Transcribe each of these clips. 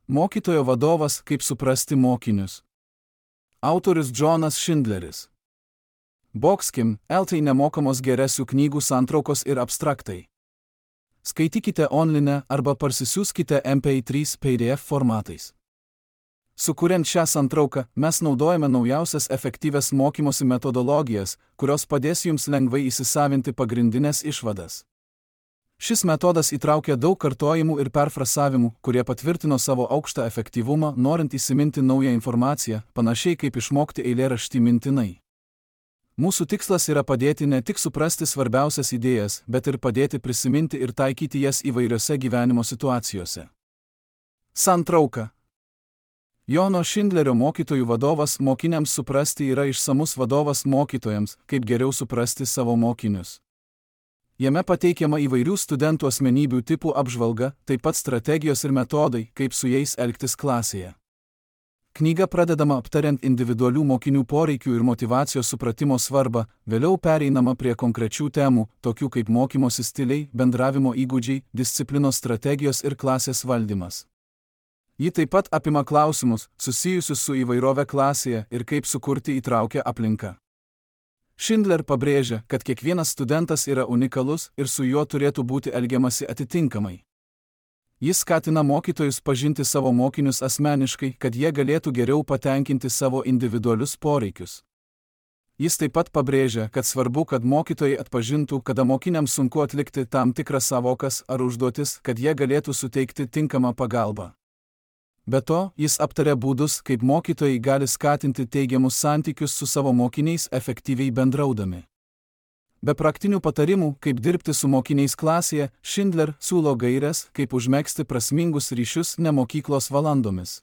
Mokytojo vadovas, kaip suprasti mokinius. Autorius Džonas Šindleris. Boxkim, LT nemokamos geresių knygų santraukos ir abstraktai. Skaitykite online arba parsisiųskite MP3 PDF formatais. Sukuriant šią santrauką, mes naudojame naujausias efektyvias mokymosi metodologijas, kurios padės jums lengvai įsisavinti pagrindinės išvadas. Šis metodas įtraukia daug kartojimų ir perfrasavimų, kurie patvirtino savo aukštą efektyvumą, norint įsiminti naują informaciją, panašiai kaip išmokti eilėraštį mintinai. Mūsų tikslas yra padėti ne tik suprasti svarbiausias idėjas, bet ir padėti prisiminti ir taikyti jas įvairiose gyvenimo situacijose. Santrauka. Jono Šindlerio mokytojų vadovas mokiniams suprasti yra išsamus vadovas mokytojams, kaip geriau suprasti savo mokinius. Jame pateikiama įvairių studentų asmenybių tipų apžvalga, taip pat strategijos ir metodai, kaip su jais elgtis klasėje. Knyga pradedama aptariant individualių mokinių poreikių ir motyvacijos supratimo svarbą, vėliau pereinama prie konkrečių temų, tokių kaip mokymosi stiliai, bendravimo įgūdžiai, disciplinos strategijos ir klasės valdymas. Ji taip pat apima klausimus, susijusius su įvairove klasėje ir kaip sukurti įtraukią aplinką. Šindler pabrėžia, kad kiekvienas studentas yra unikalus ir su juo turėtų būti elgiamasi atitinkamai. Jis skatina mokytojus pažinti savo mokinius asmeniškai, kad jie galėtų geriau patenkinti savo individualius poreikius. Jis taip pat pabrėžia, kad svarbu, kad mokytojai atpažintų, kada mokiniams sunku atlikti tam tikras sąvokas ar užduotis, kad jie galėtų suteikti tinkamą pagalbą. Be to, jis aptarė būdus, kaip mokytojai gali skatinti teigiamus santykius su savo mokiniais efektyviai bendraudami. Be praktinių patarimų, kaip dirbti su mokiniais klasėje, Šindler siūlo gaires, kaip užmegzti prasmingus ryšius ne mokyklos valandomis.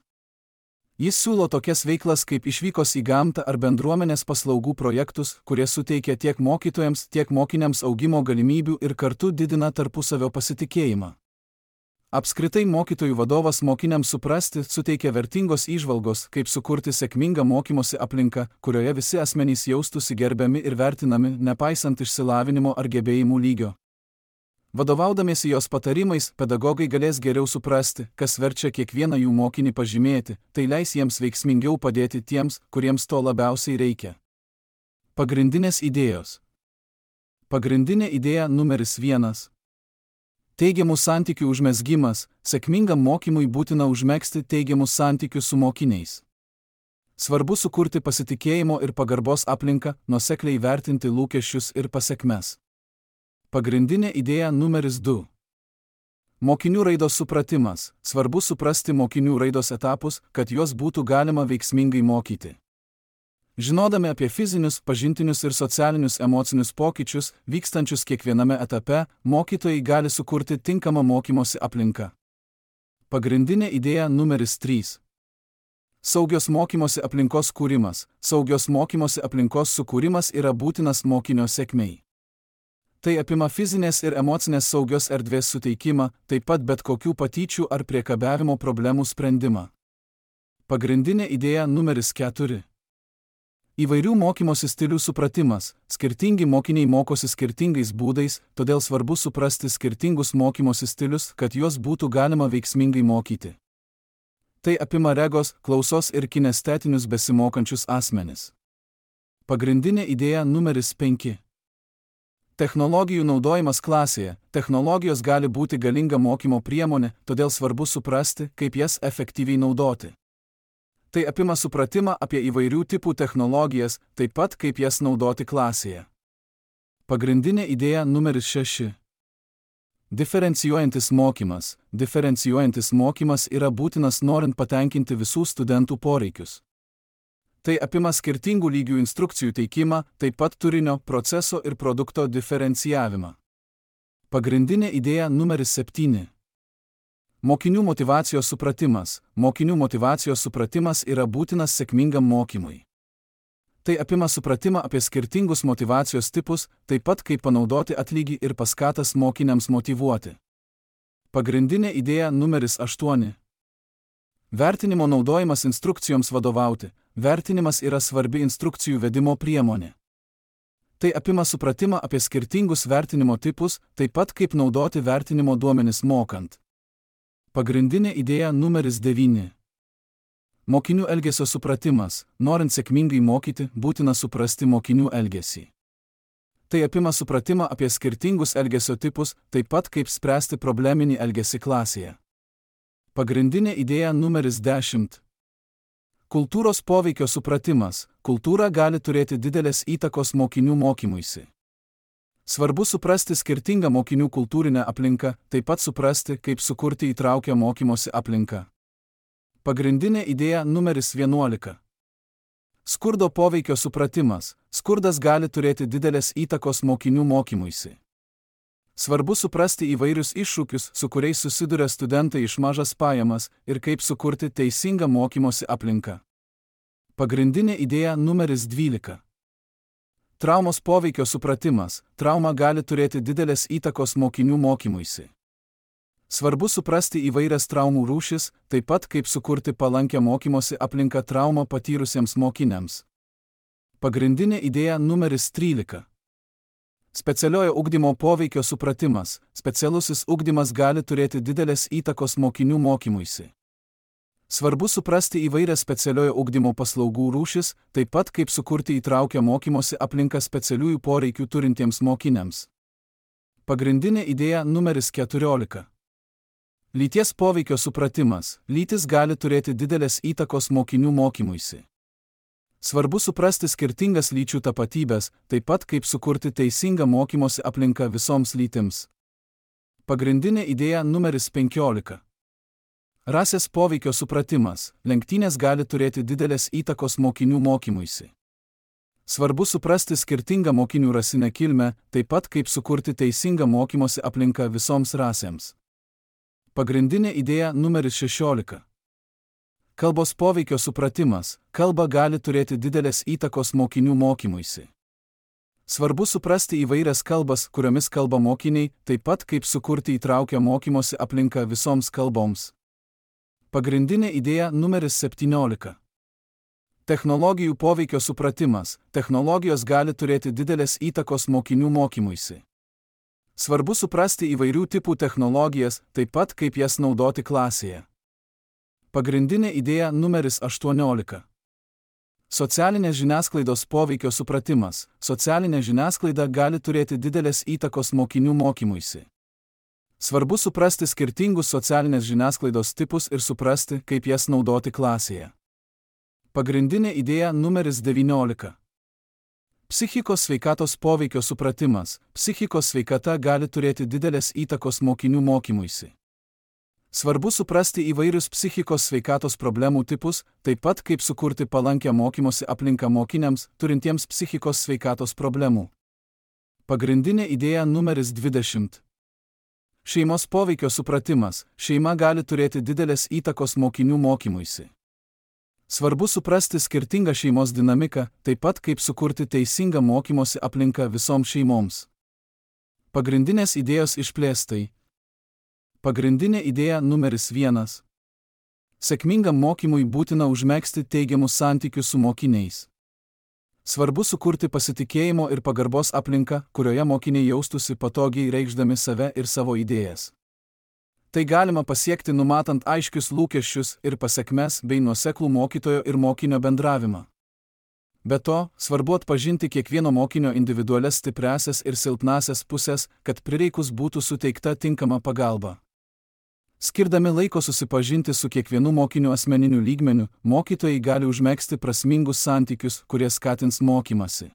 Jis siūlo tokias veiklas kaip išvykos į gamtą ar bendruomenės paslaugų projektus, kurie suteikia tiek mokytojams, tiek mokiniams augimo galimybių ir kartu didina tarpusavio pasitikėjimą. Apskritai mokytojų vadovas mokiniams suprasti suteikia vertingos įžvalgos, kaip sukurti sėkmingą mokymosi aplinką, kurioje visi asmenys jaustųsi gerbiami ir vertinami, nepaisant išsilavinimo ar gebėjimų lygio. Vadovaudamiesi jos patarimais, pedagogai galės geriau suprasti, kas verčia kiekvieną jų mokinį pažymėti, tai leis jiems veiksmingiau padėti tiems, kuriems to labiausiai reikia. Pagrindinės idėjos. Pagrindinė idėja numeris 1. Teigiamų santykių užmezgimas. Sėkmingam mokymui būtina užmegzti teigiamus santykius su mokiniais. Svarbu sukurti pasitikėjimo ir pagarbos aplinką, nuosekliai vertinti lūkesčius ir pasekmes. Pagrindinė idėja numeris 2. Mokinių raidos supratimas. Svarbu suprasti mokinių raidos etapus, kad juos būtų galima veiksmingai mokyti. Žinodami apie fizinius, pažintinius ir socialinius emocinius pokyčius, vykstančius kiekviename etape, mokytojai gali sukurti tinkamą mokymosi aplinką. Pagrindinė idėja numeris 3. Saugios mokymosi aplinkos kūrimas. Saugios mokymosi aplinkos sukūrimas yra būtinas mokinio sėkmei. Tai apima fizinės ir emocinės saugios erdvės suteikimą, taip pat bet kokių patyčių ar priekabiavimo problemų sprendimą. Pagrindinė idėja numeris 4. Įvairių mokymosi stilių supratimas. Skirtingi mokiniai mokosi skirtingais būdais, todėl svarbu suprasti skirtingus mokymosi stilius, kad juos būtų galima veiksmingai mokyti. Tai apima regos, klausos ir kinestetinius besimokančius asmenis. Pagrindinė idėja numeris 5. Technologijų naudojimas klasėje. Technologijos gali būti galinga mokymo priemonė, todėl svarbu suprasti, kaip jas efektyviai naudoti. Tai apima supratimą apie įvairių tipų technologijas, taip pat kaip jas naudoti klasėje. Pagrindinė idėja numeris 6. Diferencijuojantis mokymas. Diferencijuojantis mokymas yra būtinas norint patenkinti visų studentų poreikius. Tai apima skirtingų lygių instrukcijų teikimą, taip pat turinio, proceso ir produkto diferencijavimą. Pagrindinė idėja numeris 7. Mokinių motyvacijos supratimas. Mokinių motyvacijos supratimas yra būtinas sėkmingam mokymui. Tai apima supratimą apie skirtingus motyvacijos tipus, taip pat kaip panaudoti atlygį ir paskatas mokiniams motyvuoti. Pagrindinė idėja numeris 8. Vertinimo naudojimas instrukcijoms vadovauti. Vertinimas yra svarbi instrukcijų vedimo priemonė. Tai apima supratimą apie skirtingus vertinimo tipus, taip pat kaip naudoti vertinimo duomenis mokant. Pagrindinė idėja numeris 9. Mokinių elgesio supratimas. Norint sėkmingai mokyti, būtina suprasti mokinių elgesį. Tai apima supratimą apie skirtingus elgesio tipus, taip pat kaip spręsti probleminį elgesį klasėje. Pagrindinė idėja numeris 10. Kultūros poveikio supratimas. Kultūra gali turėti didelės įtakos mokinių mokymuisi. Svarbu suprasti skirtingą mokinių kultūrinę aplinką, taip pat suprasti, kaip sukurti įtraukią mokymosi aplinką. Pagrindinė idėja numeris 11. Skurdo poveikio supratimas. Skurdas gali turėti didelės įtakos mokinių mokymuisi. Svarbu suprasti įvairius iššūkius, su kuriais susiduria studentai iš mažas pajamas ir kaip sukurti teisingą mokymosi aplinką. Pagrindinė idėja numeris 12. Traumos poveikio supratimas. Trauma gali turėti didelės įtakos mokinių mokymuisi. Svarbu suprasti įvairias traumų rūšis, taip pat kaip sukurti palankę mokymosi aplinką traumą patyrusiems mokiniams. Pagrindinė idėja numeris 13. Specialiojo ugdymo poveikio supratimas. Specialusis ugdymas gali turėti didelės įtakos mokinių mokymuisi. Svarbu suprasti įvairias specialiojo ugdymo paslaugų rūšis, taip pat kaip sukurti įtraukią mokymosi aplinką specialiųjų poreikių turintiems mokiniams. Pagrindinė idėja numeris 14. Lyties poveikio supratimas. Lytis gali turėti didelės įtakos mokinių mokymuisi. Svarbu suprasti skirtingas lyčių tapatybės, taip pat kaip sukurti teisingą mokymosi aplinką visoms lytims. Pagrindinė idėja numeris 15. Rasės poveikio supratimas. Lenktynės gali turėti didelės įtakos mokinių mokymuisi. Svarbu suprasti skirtingą mokinių rasinę kilmę, taip pat kaip sukurti teisingą mokymosi aplinką visoms rasėms. Pagrindinė idėja numeris 16. Kalbos poveikio supratimas. Kalba gali turėti didelės įtakos mokinių mokymuisi. Svarbu suprasti įvairias kalbas, kuriomis kalba mokiniai, taip pat kaip sukurti įtraukią mokymosi aplinką visoms kalboms. Pagrindinė idėja numeris 17. Technologijų poveikio supratimas. Technologijos gali turėti didelės įtakos mokinių mokymuisi. Svarbu suprasti įvairių tipų technologijas, taip pat kaip jas naudoti klasėje. Pagrindinė idėja numeris 18. Socialinės žiniasklaidos poveikio supratimas. Socialinė žiniasklaida gali turėti didelės įtakos mokinių mokymuisi. Svarbu suprasti skirtingus socialinės žiniasklaidos tipus ir suprasti, kaip jas naudoti klasėje. Pagrindinė idėja numeris 19. Psichikos sveikatos poveikio supratimas. Psichikos sveikata gali turėti didelės įtakos mokinių mokymuisi. Svarbu suprasti įvairius psichikos sveikatos problemų tipus, taip pat kaip sukurti palankę mokymosi aplinką mokiniams, turintiems psichikos sveikatos problemų. Pagrindinė idėja numeris 20. Šeimos poveikio supratimas. Šeima gali turėti didelės įtakos mokinių mokymuisi. Svarbu suprasti skirtingą šeimos dinamiką, taip pat kaip sukurti teisingą mokymosi aplinką visoms šeimoms. Pagrindinės idėjos išplėstai. Pagrindinė idėja numeris 1. Sėkmingam mokymui būtina užmegzti teigiamus santykius su mokiniais. Svarbu sukurti pasitikėjimo ir pagarbos aplinką, kurioje mokiniai jaustųsi patogiai reikšdami save ir savo idėjas. Tai galima pasiekti numatant aiškius lūkesčius ir pasekmes bei nuoseklų mokytojo ir mokinio bendravimą. Be to, svarbu atpažinti kiekvieno mokinio individualias stipriąsias ir silpnąsias pusės, kad prireikus būtų suteikta tinkama pagalba. Skirdami laiko susipažinti su kiekvienu mokiniu asmeniniu lygmeniu, mokytojai gali užmegzti prasmingus santykius, kurie skatins mokymasi.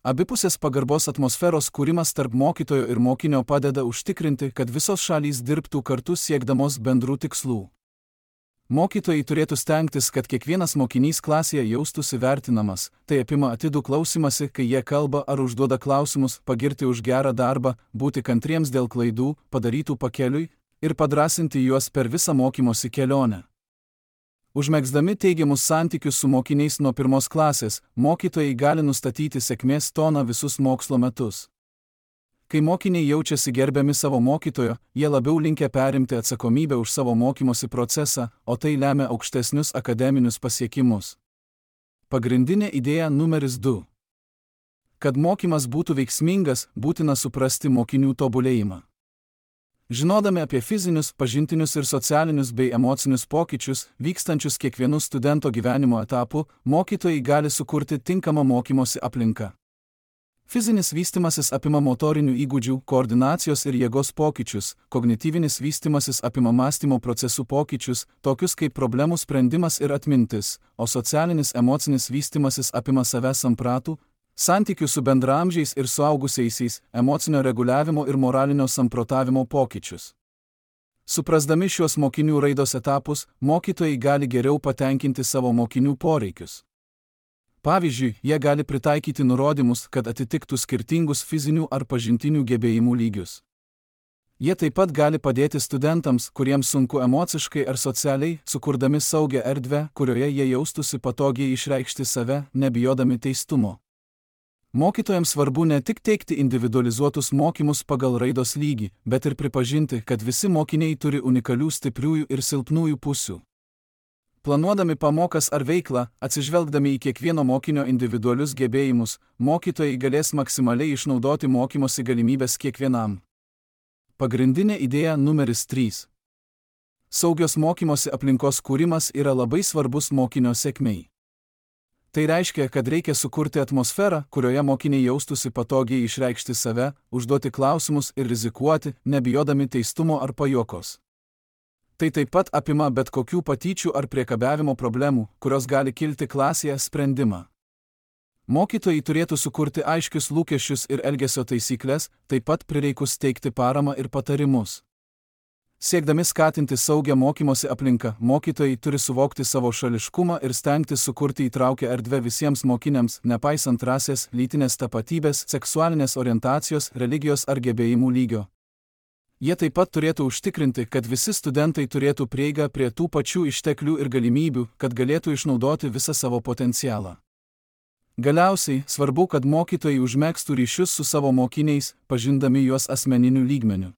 Abipusės pagarbos atmosferos kūrimas tarp mokytojo ir mokinio padeda užtikrinti, kad visos šalys dirbtų kartu siekdamos bendrų tikslų. Mokytojai turėtų stengtis, kad kiekvienas mokinys klasėje jaustųsi vertinamas, tai apima atidų klausimąsi, kai jie kalba ar užduoda klausimus, pagirti už gerą darbą, būti kantriems dėl klaidų, padarytų pakeliui, ir padrąsinti juos per visą mokymosi kelionę. Užmegzdami teigiamus santykius su mokiniais nuo 1 klasės, mokytojai gali nustatyti sėkmės toną visus mokslo metus. Kai mokiniai jaučiasi gerbiami savo mokytojo, jie labiau linkę perimti atsakomybę už savo mokymosi procesą, o tai lemia aukštesnius akademinius pasiekimus. Pagrindinė idėja numeris 2. Kad mokymas būtų veiksmingas, būtina suprasti mokinių tobulėjimą. Žinodami apie fizinius, pažintinius ir socialinius bei emocinius pokyčius, vykstančius kiekvienu studento gyvenimo etapu, mokytojai gali sukurti tinkamą mokymosi aplinką. Fizinis vystimasis apima motorinių įgūdžių, koordinacijos ir jėgos pokyčius, kognityvinis vystimasis apima mąstymo procesų pokyčius, tokius kaip problemų sprendimas ir atmintis, o socialinis emocinis vystimasis apima savęs sampratų, santykių su bendraamžiais ir suaugusiaisiais, emocinio reguliavimo ir moralinio samprotavimo pokyčius. Suprasdami šiuos mokinių raidos etapus, mokytojai gali geriau patenkinti savo mokinių poreikius. Pavyzdžiui, jie gali pritaikyti nurodymus, kad atitiktų skirtingus fizinių ar pažintinių gebėjimų lygius. Jie taip pat gali padėti studentams, kuriems sunku emociškai ar socialiai, sukurdami saugią erdvę, kurioje jie jaustųsi patogiai išreikšti save, nebijodami teistumo. Mokytojams svarbu ne tik teikti individualizuotus mokymus pagal raidos lygį, bet ir pripažinti, kad visi mokiniai turi unikalių stipriųjų ir silpnųjų pusių. Planuodami pamokas ar veiklą, atsižvelgdami į kiekvieno mokinio individualius gebėjimus, mokytojai galės maksimaliai išnaudoti mokymosi galimybės kiekvienam. Pagrindinė idėja numeris 3. Saugios mokymosi aplinkos kūrimas yra labai svarbus mokinio sėkmei. Tai reiškia, kad reikia sukurti atmosferą, kurioje mokiniai jaustųsi patogiai išreikšti save, užduoti klausimus ir rizikuoti, nebijodami teistumo ar pajuokos. Tai taip pat apima bet kokių patyčių ar priekabiavimo problemų, kurios gali kilti klasėje, sprendimą. Mokytojai turėtų sukurti aiškius lūkesčius ir elgesio taisyklės, taip pat prireikus teikti paramą ir patarimus. Siekdami skatinti saugią mokymosi aplinką, mokytojai turi suvokti savo šališkumą ir stengtis sukurti įtraukią erdvę visiems mokiniams, nepaisant rasės, lytinės tapatybės, seksualinės orientacijos, religijos ar gebėjimų lygio. Jie taip pat turėtų užtikrinti, kad visi studentai turėtų prieigą prie tų pačių išteklių ir galimybių, kad galėtų išnaudoti visą savo potencialą. Galiausiai, svarbu, kad mokytojai užmegztų ryšius su savo mokiniais, pažindami juos asmeniniu lygmeniu.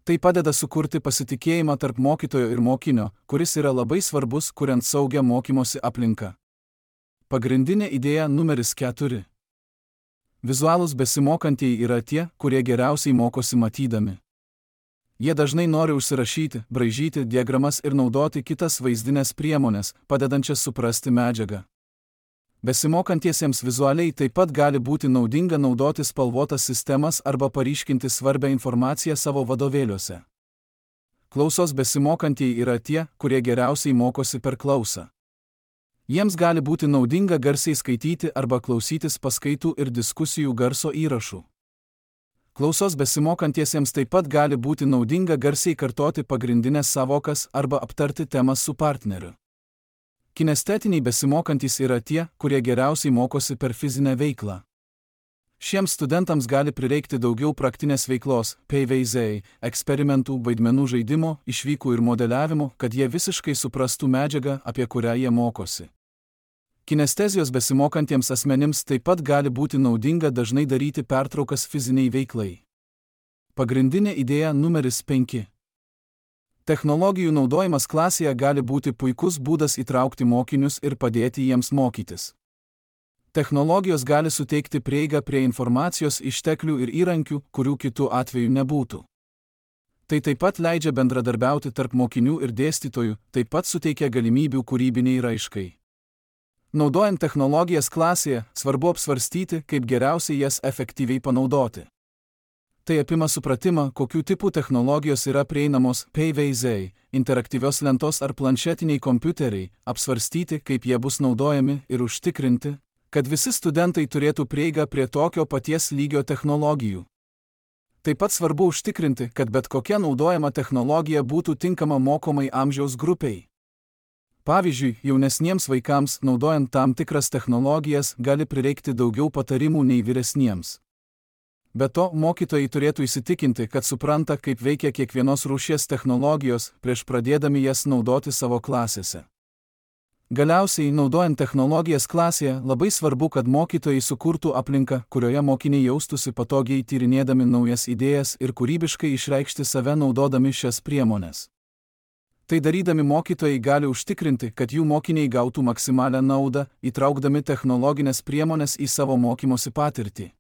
Tai padeda sukurti pasitikėjimą tarp mokytojo ir mokinio, kuris yra labai svarbus, kuriant saugią mokymosi aplinką. Pagrindinė idėja numeris 4. Vizualūs besimokantieji yra tie, kurie geriausiai mokosi matydami. Jie dažnai nori užsirašyti, braižyti diagramas ir naudoti kitas vaizdinės priemonės, padedančias suprasti medžiagą. Besimokantiesiems vizualiai taip pat gali būti naudinga naudoti spalvotas sistemas arba paryškinti svarbią informaciją savo vadovėliuose. Klausos besimokantieji yra tie, kurie geriausiai mokosi per klausą. Jiems gali būti naudinga garsiai skaityti arba klausytis paskaitų ir diskusijų garso įrašų. Klausos besimokantiesiems taip pat gali būti naudinga garsiai kartoti pagrindinės sąvokas arba aptarti temas su partneriu. Kinestetiniai besimokantys yra tie, kurie geriausiai mokosi per fizinę veiklą. Šiems studentams gali prireikti daugiau praktinės veiklos, PVZ, eksperimentų, vaidmenų žaidimo, išvykų ir modeliavimo, kad jie visiškai suprastų medžiagą, apie kurią jie mokosi. Kinestezijos besimokantiems asmenims taip pat gali būti naudinga dažnai daryti pertraukas fiziniai veiklai. Pagrindinė idėja numeris 5. Technologijų naudojimas klasėje gali būti puikus būdas įtraukti mokinius ir padėti jiems mokytis. Technologijos gali suteikti prieigą prie informacijos išteklių ir įrankių, kurių kitų atveju nebūtų. Tai taip pat leidžia bendradarbiauti tarp mokinių ir dėstytojų, taip pat suteikia galimybių kūrybiniai raiškai. Naudojant technologijas klasėje, svarbu apsvarstyti, kaip geriausiai jas efektyviai panaudoti. Tai apima supratimą, kokių tipų technologijos yra prieinamos, PVZ, interaktyvios lentos ar planšetiniai kompiuteriai, apsvarstyti, kaip jie bus naudojami ir užtikrinti, kad visi studentai turėtų prieigą prie tokio paties lygio technologijų. Taip pat svarbu užtikrinti, kad bet kokia naudojama technologija būtų tinkama mokomai amžiaus grupiai. Pavyzdžiui, jaunesniems vaikams, naudojant tam tikras technologijas, gali prireikti daugiau patarimų nei vyresniems. Be to, mokytojai turėtų įsitikinti, kad supranta, kaip veikia kiekvienos rūšies technologijos, prieš pradėdami jas naudoti savo klasėse. Galiausiai, naudojant technologijas klasėje, labai svarbu, kad mokytojai sukurtų aplinką, kurioje mokiniai jaustųsi patogiai tyrinėdami naujas idėjas ir kūrybiškai išreikšti save naudodami šias priemones. Tai darydami mokytojai gali užtikrinti, kad jų mokiniai gautų maksimalią naudą, įtraukdami technologinės priemonės į savo mokymosi patirtį.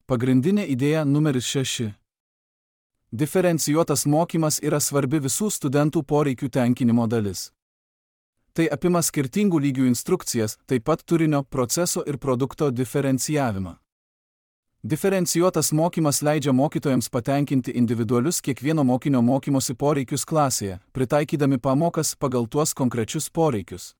Pagrindinė idėja numeris 6. Diferencijuotas mokymas yra svarbi visų studentų poreikių tenkinimo dalis. Tai apima skirtingų lygių instrukcijas, taip pat turinio, proceso ir produkto diferencijavimą. Diferencijuotas mokymas leidžia mokytojams patenkinti individualius kiekvieno mokinio mokymosi poreikius klasėje, pritaikydami pamokas pagal tuos konkrečius poreikius.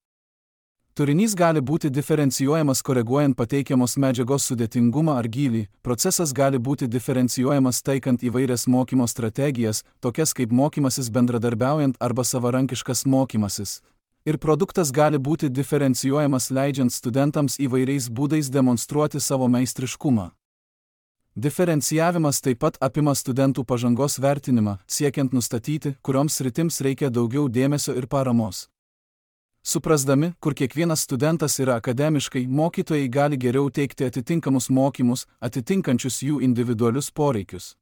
Turinys gali būti diferencijuojamas koreguojant pateikiamos medžiagos sudėtingumą ar gylį, procesas gali būti diferencijuojamas taikant įvairias mokymo strategijas, tokias kaip mokymasis bendradarbiaujant arba savarankiškas mokymasis. Ir produktas gali būti diferencijuojamas leidžiant studentams įvairiais būdais demonstruoti savo meistriškumą. Diferencijavimas taip pat apima studentų pažangos vertinimą, siekiant nustatyti, kurioms sritims reikia daugiau dėmesio ir paramos. Suprasdami, kur kiekvienas studentas yra akademiškai, mokytojai gali geriau teikti atitinkamus mokymus, atitinkančius jų individualius poreikius.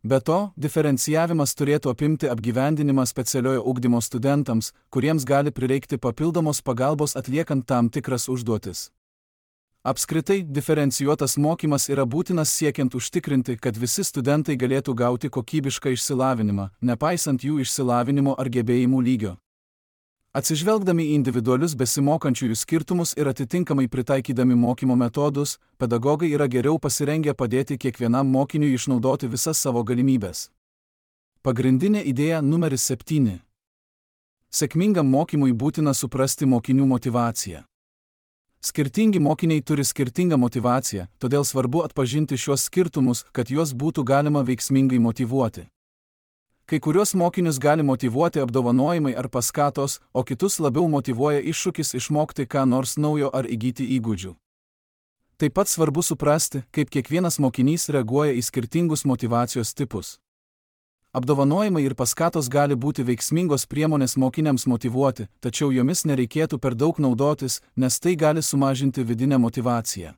Be to, diferencijavimas turėtų apimti apgyvendinimą specialiojo ugdymo studentams, kuriems gali prireikti papildomos pagalbos atliekant tam tikras užduotis. Apskritai, diferencijuotas mokymas yra būtinas siekiant užtikrinti, kad visi studentai galėtų gauti kokybišką išsilavinimą, nepaisant jų išsilavinimo ar gebėjimų lygio. Atsižvelgdami į individualius besimokančiųjų skirtumus ir atitinkamai pritaikydami mokymo metodus, pedagogai yra geriau pasirengę padėti kiekvienam mokiniui išnaudoti visas savo galimybes. Pagrindinė idėja numeris 7. Sėkmingam mokymui būtina suprasti mokinių motyvaciją. Skirtingi mokiniai turi skirtingą motyvaciją, todėl svarbu atpažinti šios skirtumus, kad juos būtų galima veiksmingai motyvuoti. Kai kuriuos mokinius gali motyvuoti apdovanojimai ar paskatos, o kitus labiau motyvuoja iššūkis išmokti ką nors naujo ar įgyti įgūdžių. Taip pat svarbu suprasti, kaip kiekvienas mokinys reaguoja į skirtingus motyvacijos tipus. Apdovanojimai ir paskatos gali būti veiksmingos priemonės mokiniams motyvuoti, tačiau jomis nereikėtų per daug naudotis, nes tai gali sumažinti vidinę motyvaciją.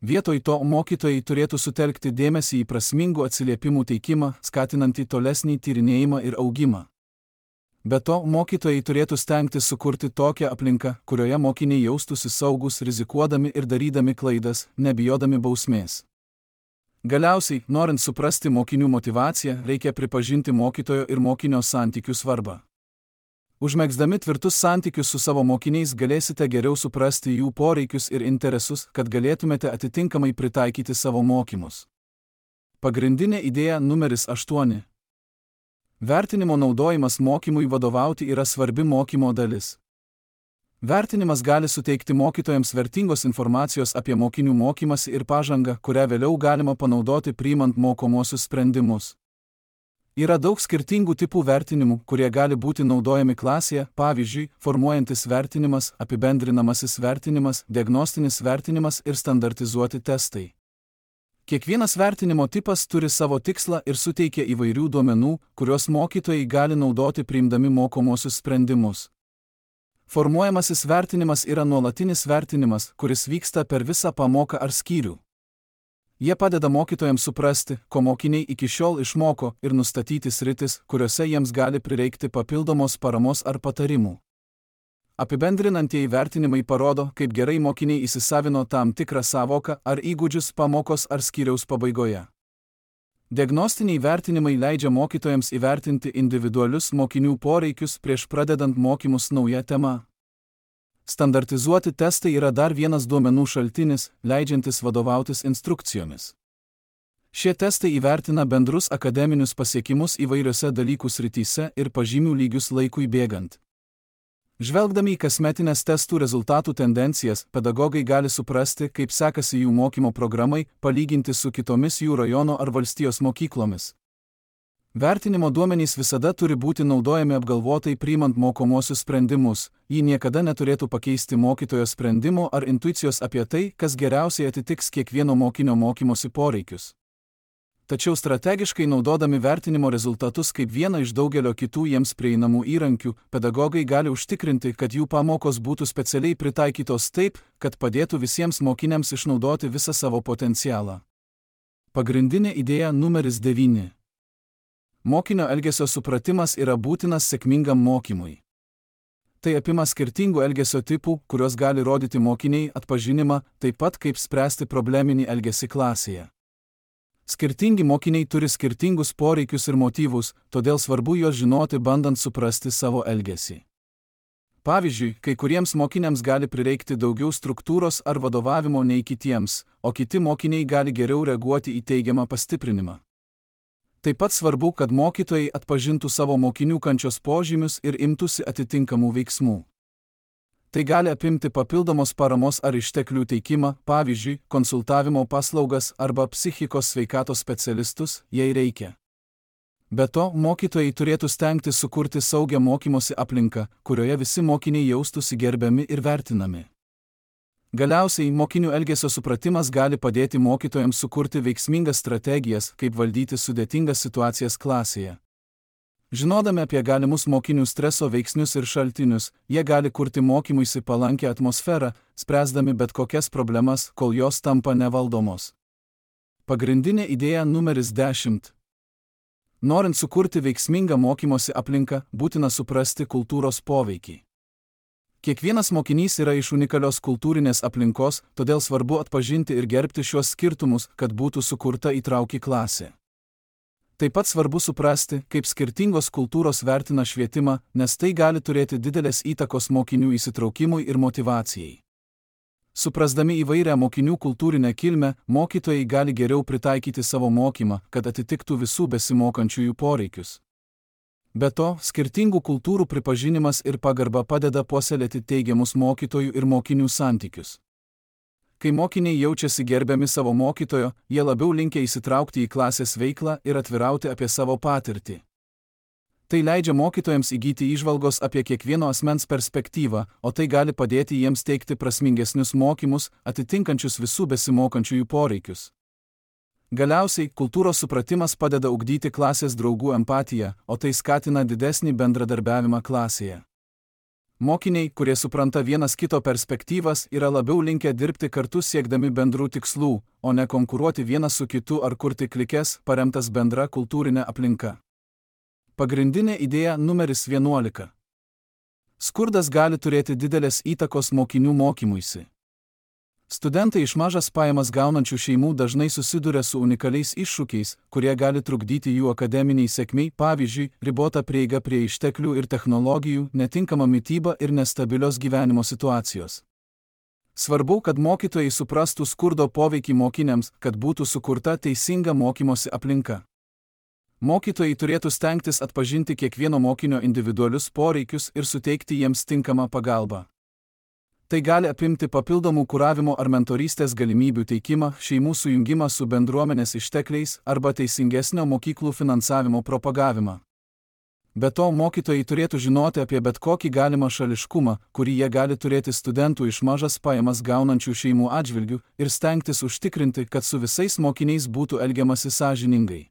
Vietoj to mokytojai turėtų sutelkti dėmesį į prasmingų atsiliepimų teikimą, skatinantį tolesnį tyrinėjimą ir augimą. Be to, mokytojai turėtų stengtis sukurti tokią aplinką, kurioje mokiniai jaustųsi saugus, rizikuodami ir darydami klaidas, nebijodami bausmės. Galiausiai, norint suprasti mokinių motyvaciją, reikia pripažinti mokytojo ir mokinio santykių svarbą. Užmegzdami tvirtus santykius su savo mokiniais galėsite geriau suprasti jų poreikius ir interesus, kad galėtumėte atitinkamai pritaikyti savo mokymus. Pagrindinė idėja numeris 8. Vertinimo naudojimas mokymui vadovauti yra svarbi mokymo dalis. Vertinimas gali suteikti mokytojams vertingos informacijos apie mokinių mokymąsi ir pažangą, kurią vėliau galima panaudoti priimant mokomuosius sprendimus. Yra daug skirtingų tipų vertinimų, kurie gali būti naudojami klasėje, pavyzdžiui, formuojantis vertinimas, apibendrinamasis vertinimas, diagnostinis vertinimas ir standartizuoti testai. Kiekvienas vertinimo tipas turi savo tikslą ir suteikia įvairių duomenų, kuriuos mokytojai gali naudoti priimdami mokomuosius sprendimus. Formuojamasis vertinimas yra nuolatinis vertinimas, kuris vyksta per visą pamoką ar skyrių. Jie padeda mokytojams suprasti, ko mokiniai iki šiol išmoko ir nustatyti sritis, kuriuose jiems gali prireikti papildomos paramos ar patarimų. Apibendrinantieji vertinimai parodo, kaip gerai mokiniai įsisavino tam tikrą sąvoką ar įgūdžius pamokos ar skyriaus pabaigoje. Diagnostiniai vertinimai leidžia mokytojams įvertinti individualius mokinių poreikius prieš pradedant mokymus nauja tema. Standartizuoti testai yra dar vienas duomenų šaltinis, leidžiantis vadovautis instrukcijomis. Šie testai įvertina bendrus akademinius pasiekimus įvairiose dalykų srityse ir pažymių lygius laikui bėgant. Žvelgdami į kasmetinės testų rezultatų tendencijas, pedagogai gali suprasti, kaip sekasi jų mokymo programai, palyginti su kitomis jų rajono ar valstijos mokyklomis. Vertinimo duomenys visada turi būti naudojami apgalvotai priimant mokomuosius sprendimus, jį niekada neturėtų pakeisti mokytojo sprendimo ar intuicijos apie tai, kas geriausiai atitiks kiekvieno mokinio mokymosi poreikius. Tačiau strategiškai naudodami vertinimo rezultatus kaip vieną iš daugelio kitų jiems prieinamų įrankių, pedagogai gali užtikrinti, kad jų pamokos būtų specialiai pritaikytos taip, kad padėtų visiems mokiniams išnaudoti visą savo potencialą. Pagrindinė idėja numeris 9. Mokinio elgesio supratimas yra būtinas sėkmingam mokymui. Tai apima skirtingų elgesio tipų, kurios gali rodyti mokiniai atpažinimą, taip pat kaip spręsti probleminį elgesį klasėje. Skirtingi mokiniai turi skirtingus poreikius ir motyvus, todėl svarbu juos žinoti, bandant suprasti savo elgesį. Pavyzdžiui, kai kuriems mokiniams gali prireikti daugiau struktūros ar vadovavimo nei kitiems, o kiti mokiniai gali geriau reaguoti į teigiamą pastiprinimą. Taip pat svarbu, kad mokytojai atpažintų savo mokinių kančios požymius ir imtųsi atitinkamų veiksmų. Tai gali apimti papildomos paramos ar išteklių teikimą, pavyzdžiui, konsultavimo paslaugas arba psichikos sveikatos specialistus, jei reikia. Be to, mokytojai turėtų stengtis sukurti saugią mokymosi aplinką, kurioje visi mokiniai jaustųsi gerbiami ir vertinami. Galiausiai, mokinių elgesio supratimas gali padėti mokytojams sukurti veiksmingas strategijas, kaip valdyti sudėtingas situacijas klasėje. Žinodami apie galimus mokinių streso veiksnius ir šaltinius, jie gali kurti mokymuisi palankę atmosferą, spręsdami bet kokias problemas, kol jos tampa nevaldomos. Pagrindinė idėja numeris 10. Norint sukurti veiksmingą mokymosi aplinką, būtina suprasti kultūros poveikį. Kiekvienas mokinys yra iš unikalios kultūrinės aplinkos, todėl svarbu atpažinti ir gerbti šiuos skirtumus, kad būtų sukurta įtrauki klasė. Taip pat svarbu suprasti, kaip skirtingos kultūros vertina švietimą, nes tai gali turėti didelės įtakos mokinių įsitraukimui ir motyvacijai. Suprasdami įvairią mokinių kultūrinę kilmę, mokytojai gali geriau pritaikyti savo mokymą, kad atitiktų visų besimokančiųjų poreikius. Be to, skirtingų kultūrų pripažinimas ir pagarba padeda puoselėti teigiamus mokytojų ir mokinių santykius. Kai mokiniai jaučiasi gerbiami savo mokytojo, jie labiau linkę įsitraukti į klasės veiklą ir atvirauti apie savo patirtį. Tai leidžia mokytojams įgyti įžvalgos apie kiekvieno asmens perspektyvą, o tai gali padėti jiems teikti prasmingesnius mokymus, atitinkančius visų besimokančiųjų poreikius. Galiausiai, kultūros supratimas padeda ugdyti klasės draugų empatiją, o tai skatina didesnį bendradarbiavimą klasėje. Mokiniai, kurie supranta vienas kito perspektyvas, yra labiau linkę dirbti kartu siekdami bendrų tikslų, o ne konkuruoti vienas su kitu ar kurti klikes, paremtas bendra kultūrinė aplinka. Pagrindinė idėja numeris 11. Skurdas gali turėti didelės įtakos mokinių mokymuisi. Studentai iš mažas pajamas gaunančių šeimų dažnai susiduria su unikaliais iššūkiais, kurie gali trukdyti jų akademiniai sėkmei, pavyzdžiui, ribota prieiga prie išteklių ir technologijų, netinkama mityba ir nestabilios gyvenimo situacijos. Svarbu, kad mokytojai suprastų skurdo poveikį mokiniams, kad būtų sukurta teisinga mokymosi aplinka. Mokytojai turėtų stengtis atpažinti kiekvieno mokinio individualius poreikius ir suteikti jiems tinkamą pagalbą. Tai gali apimti papildomų kuravimo ar mentorystės galimybių teikimą, šeimų sujungimą su bendruomenės ištekliais arba teisingesnio mokyklų finansavimo propagavimą. Be to, mokytojai turėtų žinoti apie bet kokį galimą šališkumą, kurį jie gali turėti studentų iš mažas pajamas gaunančių šeimų atžvilgių ir stengtis užtikrinti, kad su visais mokiniais būtų elgiamasi sąžiningai.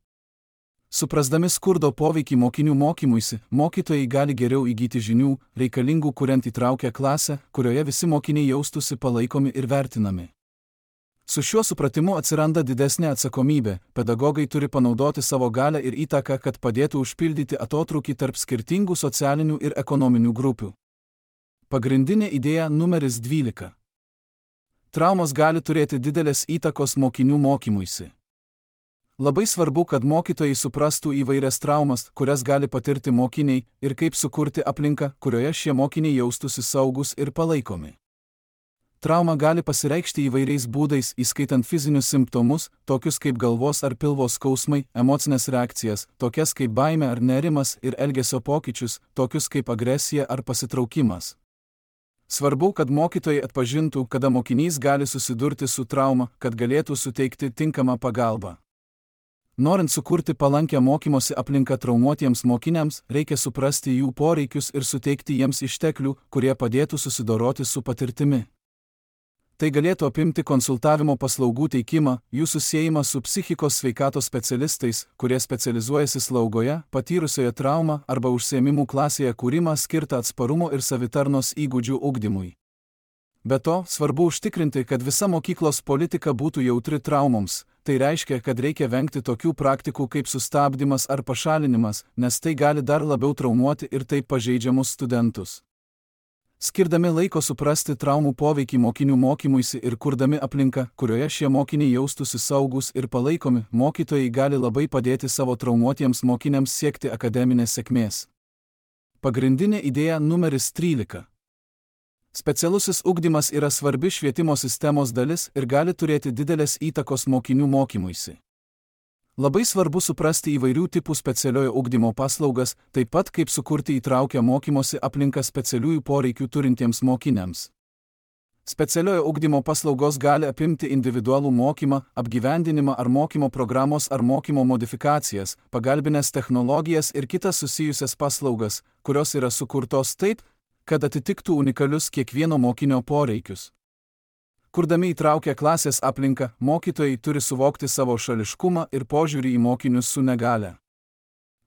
Suprasdami skurdo poveikį mokinių mokymuisi, mokytojai gali geriau įgyti žinių, reikalingų kuriant įtraukę klasę, kurioje visi mokiniai jaustųsi palaikomi ir vertinami. Su šiuo supratimu atsiranda didesnė atsakomybė, pedagogai turi panaudoti savo galią ir įtaką, kad padėtų užpildyti atotrūkį tarp skirtingų socialinių ir ekonominių grupių. Pagrindinė idėja numeris 12. Traumos gali turėti didelės įtakos mokinių mokymuisi. Labai svarbu, kad mokytojai suprastų įvairias traumas, kurias gali patirti mokiniai, ir kaip sukurti aplinką, kurioje šie mokiniai jaustųsi saugus ir palaikomi. Trauma gali pasireikšti įvairiais būdais, įskaitant fizinius simptomus, tokius kaip galvos ar pilvo skausmai, emocinės reakcijas, tokias kaip baimė ar nerimas, ir elgesio pokyčius, tokius kaip agresija ar pasitraukimas. Svarbu, kad mokytojai atpažintų, kada mokinys gali susidurti su trauma, kad galėtų suteikti tinkamą pagalbą. Norint sukurti palankę mokymosi aplinką traumuotiems mokiniams, reikia suprasti jų poreikius ir suteikti jiems išteklių, kurie padėtų susidoroti su patirtimi. Tai galėtų apimti konsultavimo paslaugų teikimą, jų susiejimą su psichikos sveikatos specialistais, kurie specializuojasi slaugoje, patyrusioje traumą arba užsiėmimų klasėje kūrimą skirtą atsparumo ir savitarnos įgūdžių ugdymui. Be to, svarbu užtikrinti, kad visa mokyklos politika būtų jautri traumoms. Tai reiškia, kad reikia vengti tokių praktikų kaip sustabdymas ar pašalinimas, nes tai gali dar labiau traumuoti ir taip pažeidžiamus studentus. skirdami laiko suprasti traumų poveikį mokinių mokymuisi ir kurdami aplinką, kurioje šie mokiniai jaustųsi saugūs ir palaikomi, mokytojai gali labai padėti savo traumuotiems mokiniams siekti akademinės sėkmės. Pagrindinė idėja numeris 13. Specialusis ugdymas yra svarbi švietimo sistemos dalis ir gali turėti didelės įtakos mokinių mokymuisi. Labai svarbu suprasti įvairių tipų specialiojo ugdymo paslaugas, taip pat kaip sukurti įtraukią mokymosi aplinką specialiųjų poreikių turintiems mokiniams. Specialiojo ugdymo paslaugos gali apimti individualų mokymą, apgyvendinimą ar mokymo programos ar mokymo modifikacijas, pagalbinės technologijas ir kitas susijusias paslaugas, kurios yra sukurtos taip, kad atitiktų unikalius kiekvieno mokinio poreikius. Kurdami įtraukę klasės aplinką, mokytojai turi suvokti savo šališkumą ir požiūrį į mokinius su negale.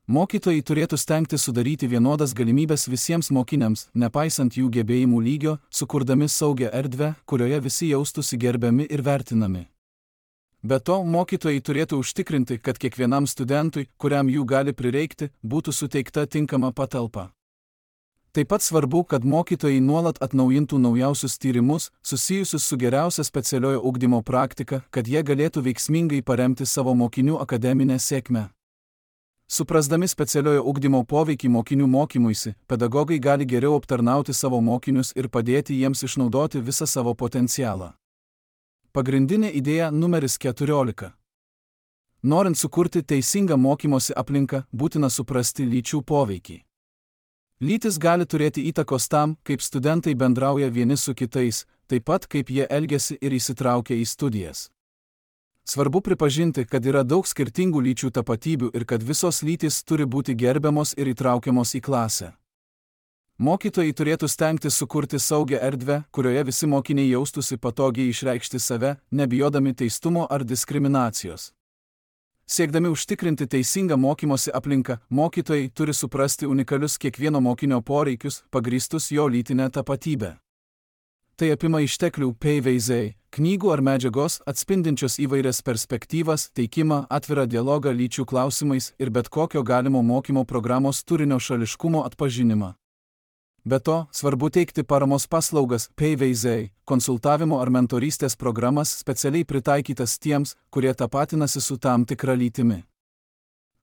Mokytojai turėtų stengti sudaryti vienodas galimybes visiems mokiniams, nepaisant jų gebėjimų lygio, sukurdami saugią erdvę, kurioje visi jaustųsi gerbiami ir vertinami. Be to, mokytojai turėtų užtikrinti, kad kiekvienam studentui, kuriam jų gali prireikti, būtų suteikta tinkama patalpa. Taip pat svarbu, kad mokytojai nuolat atnaujintų naujausius tyrimus, susijusius su geriausia specialiojo ugdymo praktika, kad jie galėtų veiksmingai paremti savo mokinių akademinę sėkmę. Suprasdami specialiojo ugdymo poveikį mokinių mokymuisi, pedagogai gali geriau aptarnauti savo mokinius ir padėti jiems išnaudoti visą savo potencialą. Pagrindinė idėja numeris 14. Norint sukurti teisingą mokymosi aplinką, būtina suprasti lyčių poveikį. Lytis gali turėti įtakos tam, kaip studentai bendrauja vieni su kitais, taip pat kaip jie elgiasi ir įsitraukia į studijas. Svarbu pripažinti, kad yra daug skirtingų lyčių tapatybių ir kad visos lytys turi būti gerbiamos ir įtraukiamos į klasę. Mokytojai turėtų stengtis sukurti saugią erdvę, kurioje visi mokiniai jaustųsi patogiai išreikšti save, nebijodami teistumo ar diskriminacijos. Siekdami užtikrinti teisingą mokymosi aplinką, mokytojai turi suprasti unikalius kiekvieno mokinio poreikius, pagrįstus jo lytinę tapatybę. Tai apima išteklių PVZ, knygų ar medžiagos atspindinčios įvairias perspektyvas, teikimą, atvirą dialogą lyčių klausimais ir bet kokio galimo mokymo programos turinio šališkumo atpažinimą. Be to, svarbu teikti paramos paslaugas PVZ, konsultavimo ar mentorystės programas specialiai pritaikytas tiems, kurie tapatinasi su tam tikra lytimi.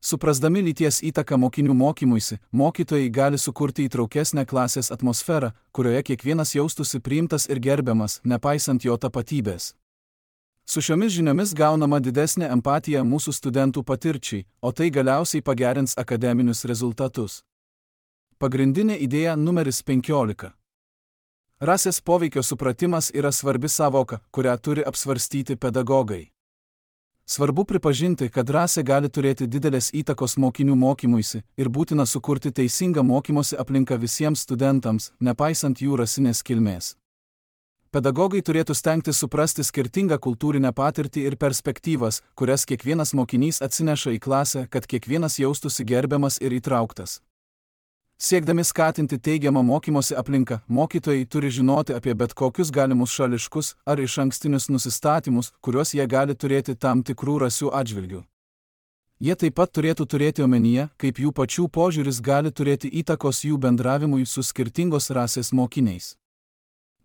Suprasdami lyties įtaką mokinių mokymuisi, mokytojai gali sukurti įtraukesnę klasės atmosferą, kurioje kiekvienas jaustųsi priimtas ir gerbiamas, nepaisant jo tapatybės. Su šiomis žiniomis gaunama didesnė empatija mūsų studentų patirčiai, o tai galiausiai pagerins akademinius rezultatus. Pagrindinė idėja numeris 15. Rasės poveikio supratimas yra svarbi sąvoka, kurią turi apsvarstyti pedagogai. Svarbu pripažinti, kad rasė gali turėti didelės įtakos mokinių mokymuisi ir būtina sukurti teisingą mokymosi aplinką visiems studentams, nepaisant jų rasinės kilmės. Pedagogai turėtų stengtis suprasti skirtingą kultūrinę patirtį ir perspektyvas, kurias kiekvienas mokinys atsineša į klasę, kad kiekvienas jaustųsi gerbiamas ir įtrauktas. Siekdami skatinti teigiamą mokymosi aplinką, mokytojai turi žinoti apie bet kokius galimus šališkus ar išankstinius nusistatymus, kuriuos jie gali turėti tam tikrų rasių atžvilgių. Jie taip pat turėtų turėti omenyje, kaip jų pačių požiūris gali turėti įtakos jų bendravimui su skirtingos rasės mokiniais.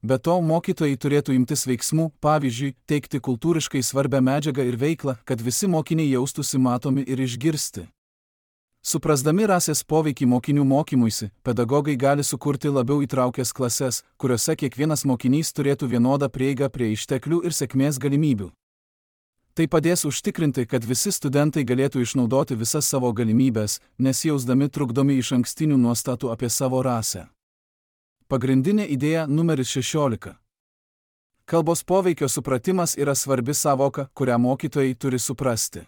Be to, mokytojai turėtų imtis veiksmų, pavyzdžiui, teikti kultūriškai svarbią medžiagą ir veiklą, kad visi mokiniai jaustųsi matomi ir išgirsti. Suprasdami rasės poveikį mokinių mokymuisi, pedagogai gali sukurti labiau įtraukęs klases, kuriuose kiekvienas mokinys turėtų vienodą prieigą prie išteklių ir sėkmės galimybių. Tai padės užtikrinti, kad visi studentai galėtų išnaudoti visas savo galimybės, nesijausdami trukdomi išankstinių nuostatų apie savo rasę. Pagrindinė idėja numeris 16. Kalbos poveikio supratimas yra svarbi sąvoka, kurią mokytojai turi suprasti.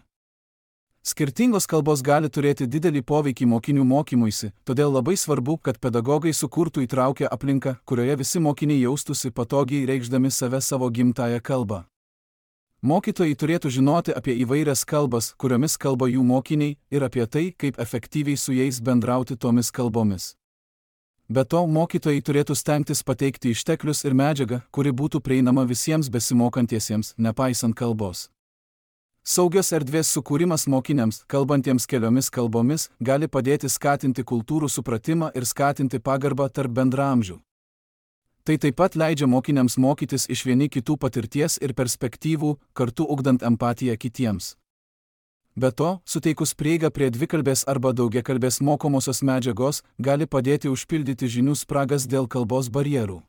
Skirtingos kalbos gali turėti didelį poveikį mokinių mokymuisi, todėl labai svarbu, kad pedagogai sukurtų įtraukę aplinką, kurioje visi mokiniai jaustųsi patogiai reikšdami save savo gimtąją kalbą. Mokytojai turėtų žinoti apie įvairias kalbas, kuriomis kalba jų mokiniai, ir apie tai, kaip efektyviai su jais bendrauti tomis kalbomis. Be to, mokytojai turėtų stengtis pateikti išteklius ir medžiagą, kuri būtų prieinama visiems besimokantiesiems, nepaisant kalbos. Saugios erdvės sukūrimas mokiniams, kalbantiems keliomis kalbomis, gali padėti skatinti kultūrų supratimą ir skatinti pagarbą tarp bendraamžių. Tai taip pat leidžia mokiniams mokytis iš vieni kitų patirties ir perspektyvų, kartu ugdant empatiją kitiems. Be to, suteikus prieigą prie dvikalbės arba daugiakalbės mokomosios medžiagos, gali padėti užpildyti žinių spragas dėl kalbos barjerų.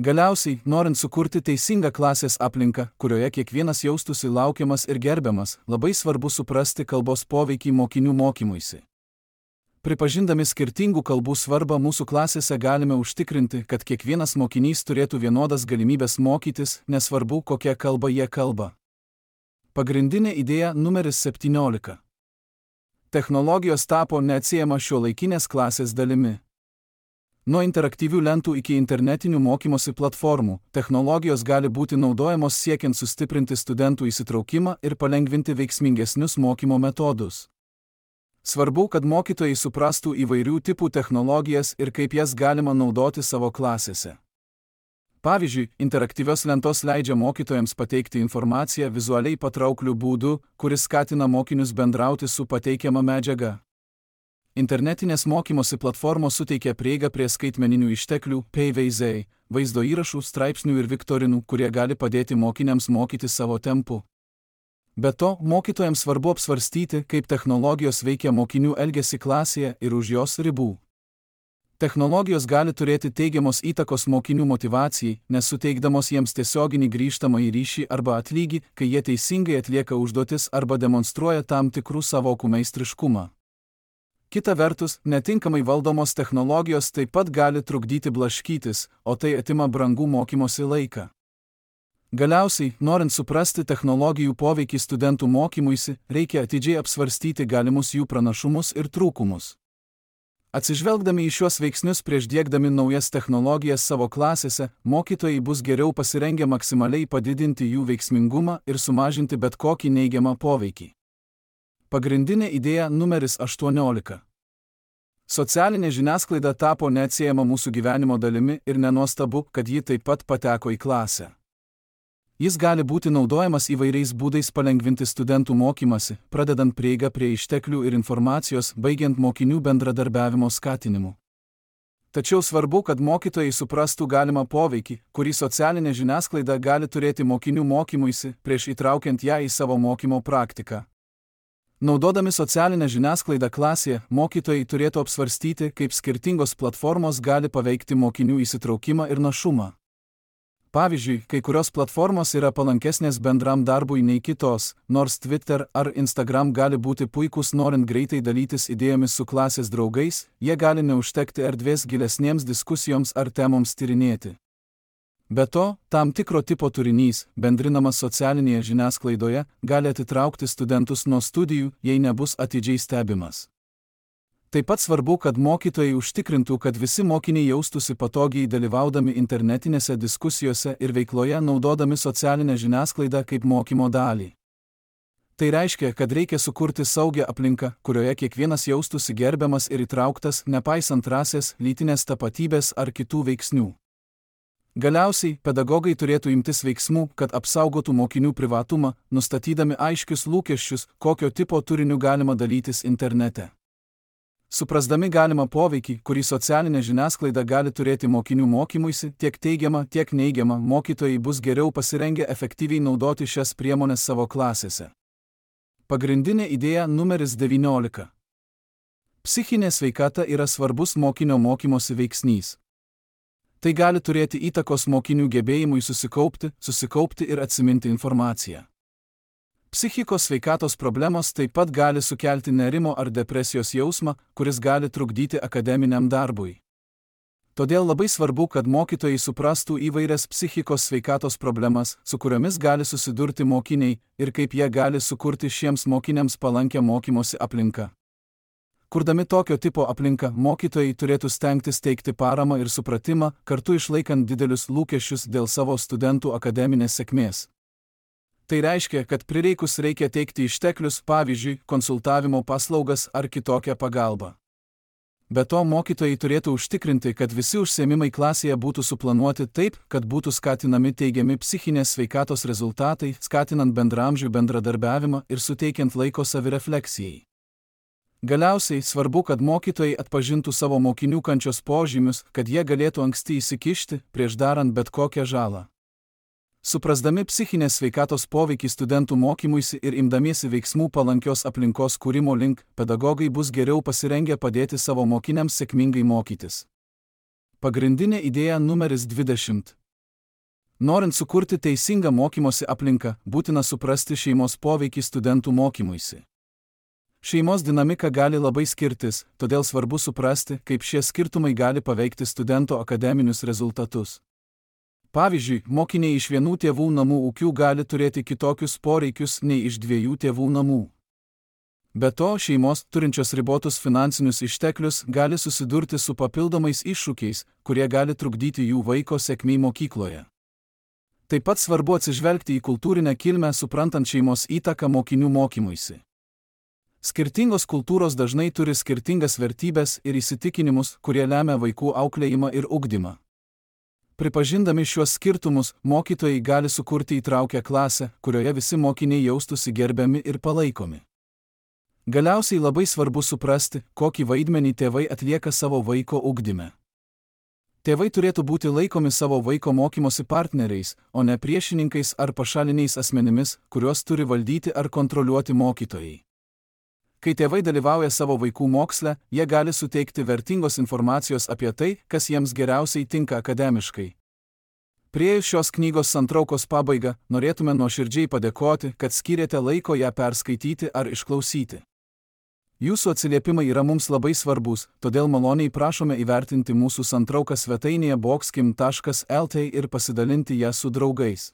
Galiausiai, norint sukurti teisingą klasės aplinką, kurioje kiekvienas jaustųsi laukiamas ir gerbiamas, labai svarbu suprasti kalbos poveikį mokinių mokymuisi. Pripažindami skirtingų kalbų svarbą mūsų klasėse galime užtikrinti, kad kiekvienas mokinys turėtų vienodas galimybės mokytis, nesvarbu, kokią kalbą jie kalba. Pagrindinė idėja numeris 17. Technologijos tapo neatsiejama šiuolaikinės klasės dalimi. Nuo interaktyvių lentų iki internetinių mokymosi platformų, technologijos gali būti naudojamos siekiant sustiprinti studentų įsitraukimą ir palengvinti veiksmingesnius mokymo metodus. Svarbu, kad mokytojai suprastų įvairių tipų technologijas ir kaip jas galima naudoti savo klasėse. Pavyzdžiui, interaktyvios lentos leidžia mokytojams pateikti informaciją vizualiai patraukliu būdu, kuris skatina mokinius bendrauti su pateikiama medžiaga. Internetinės mokymosi platformos suteikia prieigą prie skaitmeninių išteklių, PVZ, vaizdo įrašų, straipsnių ir viktorinų, kurie gali padėti mokiniams mokyti savo tempu. Be to, mokytojams svarbu apsvarstyti, kaip technologijos veikia mokinių elgesį klasėje ir už jos ribų. Technologijos gali turėti teigiamos įtakos mokinių motyvacijai, nes suteikdamos jiems tiesioginį grįžtamąjį ryšį arba atlygį, kai jie teisingai atlieka užduotis arba demonstruoja tam tikrų savokų meistriškumą. Kita vertus, netinkamai valdomos technologijos taip pat gali trukdyti blaškytis, o tai atima brangų mokymosi laiką. Galiausiai, norint suprasti technologijų poveikį studentų mokymuisi, reikia atidžiai apsvarstyti galimus jų pranašumus ir trūkumus. Atsižvelgdami į šiuos veiksnius prieš diegdami naujas technologijas savo klasėse, mokytojai bus geriau pasirengę maksimaliai padidinti jų veiksmingumą ir sumažinti bet kokį neigiamą poveikį. Pagrindinė idėja numeris 18. Socialinė žiniasklaida tapo neatsiejama mūsų gyvenimo dalimi ir nenuostabu, kad ji taip pat pateko į klasę. Jis gali būti naudojamas įvairiais būdais palengvinti studentų mokymasi, pradedant prieigą prie išteklių ir informacijos, baigiant mokinių bendradarbiavimo skatinimu. Tačiau svarbu, kad mokytojai suprastų galimą poveikį, kurį socialinė žiniasklaida gali turėti mokinių mokymuisi, prieš įtraukiant ją į savo mokymo praktiką. Naudodami socialinę žiniasklaidą klasėje, mokytojai turėtų apsvarstyti, kaip skirtingos platformos gali paveikti mokinių įsitraukimą ir našumą. Pavyzdžiui, kai kurios platformos yra palankesnės bendram darbui nei kitos, nors Twitter ar Instagram gali būti puikūs norint greitai dalytis idėjomis su klasės draugais, jie gali neužtekti erdvės gilesniems diskusijoms ar temoms tyrinėti. Be to, tam tikro tipo turinys, bendrinamas socialinėje žiniasklaidoje, gali atitraukti studentus nuo studijų, jei nebus atidžiai stebimas. Taip pat svarbu, kad mokytojai užtikrintų, kad visi mokiniai jaustųsi patogiai dalyvaudami internetinėse diskusijose ir veikloje naudodami socialinę žiniasklaidą kaip mokymo dalį. Tai reiškia, kad reikia sukurti saugią aplinką, kurioje kiekvienas jaustųsi gerbiamas ir įtrauktas, nepaisant rasės, lytinės tapatybės ar kitų veiksnių. Galiausiai, pedagogai turėtų imtis veiksmų, kad apsaugotų mokinių privatumą, nustatydami aiškius lūkesčius, kokio tipo turiniu galima dalytis internete. Suprasdami galimą poveikį, kurį socialinė žiniasklaida gali turėti mokinių mokymuisi, tiek teigiamą, tiek neigiamą, mokytojai bus geriau pasirengę efektyviai naudoti šias priemones savo klasėse. Pagrindinė idėja numeris 19. Psichinė sveikata yra svarbus mokinio mokymosi veiksnys. Tai gali turėti įtakos mokinių gebėjimui susikaupti ir atsiminti informaciją. Psichikos sveikatos problemos taip pat gali sukelti nerimo ar depresijos jausmą, kuris gali trukdyti akademiniam darbui. Todėl labai svarbu, kad mokytojai suprastų įvairias psichikos sveikatos problemas, su kuriomis gali susidurti mokiniai ir kaip jie gali sukurti šiems mokiniams palankę mokymosi aplinką. Kurdami tokio tipo aplinką, mokytojai turėtų stengtis teikti paramą ir supratimą, kartu išlaikant didelius lūkesčius dėl savo studentų akademinės sėkmės. Tai reiškia, kad prireikus reikia teikti išteklius, pavyzdžiui, konsultavimo paslaugas ar kitokią pagalbą. Be to, mokytojai turėtų užtikrinti, kad visi užsiėmimai klasėje būtų suplanuoti taip, kad būtų skatinami teigiami psichinės sveikatos rezultatai, skatinant bendraamžių bendradarbiavimą ir suteikiant laiko savirefleksijai. Galiausiai svarbu, kad mokytojai atpažintų savo mokinių kančios požymius, kad jie galėtų anksti įsikišti, prieš darant bet kokią žalą. Suprasdami psichinės sveikatos poveikį studentų mokymuisi ir imdamiesi veiksmų palankios aplinkos kūrimo link, pedagogai bus geriau pasirengę padėti savo mokiniams sėkmingai mokytis. Pagrindinė idėja numeris 20. Norint sukurti teisingą mokymosi aplinką, būtina suprasti šeimos poveikį studentų mokymuisi. Šeimos dinamika gali labai skirtis, todėl svarbu suprasti, kaip šie skirtumai gali paveikti studento akademinius rezultatus. Pavyzdžiui, mokiniai iš vienų tėvų namų ūkių gali turėti kitokius poreikius nei iš dviejų tėvų namų. Be to, šeimos, turinčios ribotus finansinius išteklius, gali susidurti su papildomais iššūkiais, kurie gali trukdyti jų vaiko sėkmei mokykloje. Taip pat svarbu atsižvelgti į kultūrinę kilmę, suprantant šeimos įtaką mokinių mokymuisi. Skirtingos kultūros dažnai turi skirtingas vertybės ir įsitikinimus, kurie lemia vaikų auklėjimą ir ugdymą. Pripažindami šiuos skirtumus, mokytojai gali sukurti įtraukią klasę, kurioje visi mokiniai jaustųsi gerbiami ir palaikomi. Galiausiai labai svarbu suprasti, kokį vaidmenį tėvai atlieka savo vaiko ugdyme. Tėvai turėtų būti laikomi savo vaiko mokymosi partneriais, o ne priešininkais ar pašaliniais asmenimis, kuriuos turi valdyti ar kontroliuoti mokytojai. Kai tėvai dalyvauja savo vaikų moksle, jie gali suteikti vertingos informacijos apie tai, kas jiems geriausiai tinka akademiškai. Priėjus šios knygos santraukos pabaigą, norėtume nuoširdžiai padėkoti, kad skyrėte laiko ją perskaityti ar išklausyti. Jūsų atsiliepimai yra mums labai svarbus, todėl maloniai prašome įvertinti mūsų santrauką svetainėje boxkim.lt ir pasidalinti ją su draugais.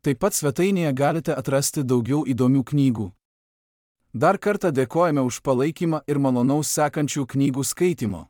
Taip pat svetainėje galite atrasti daugiau įdomių knygų. Dar kartą dėkojame už palaikymą ir malonaus sekančių knygų skaitimo.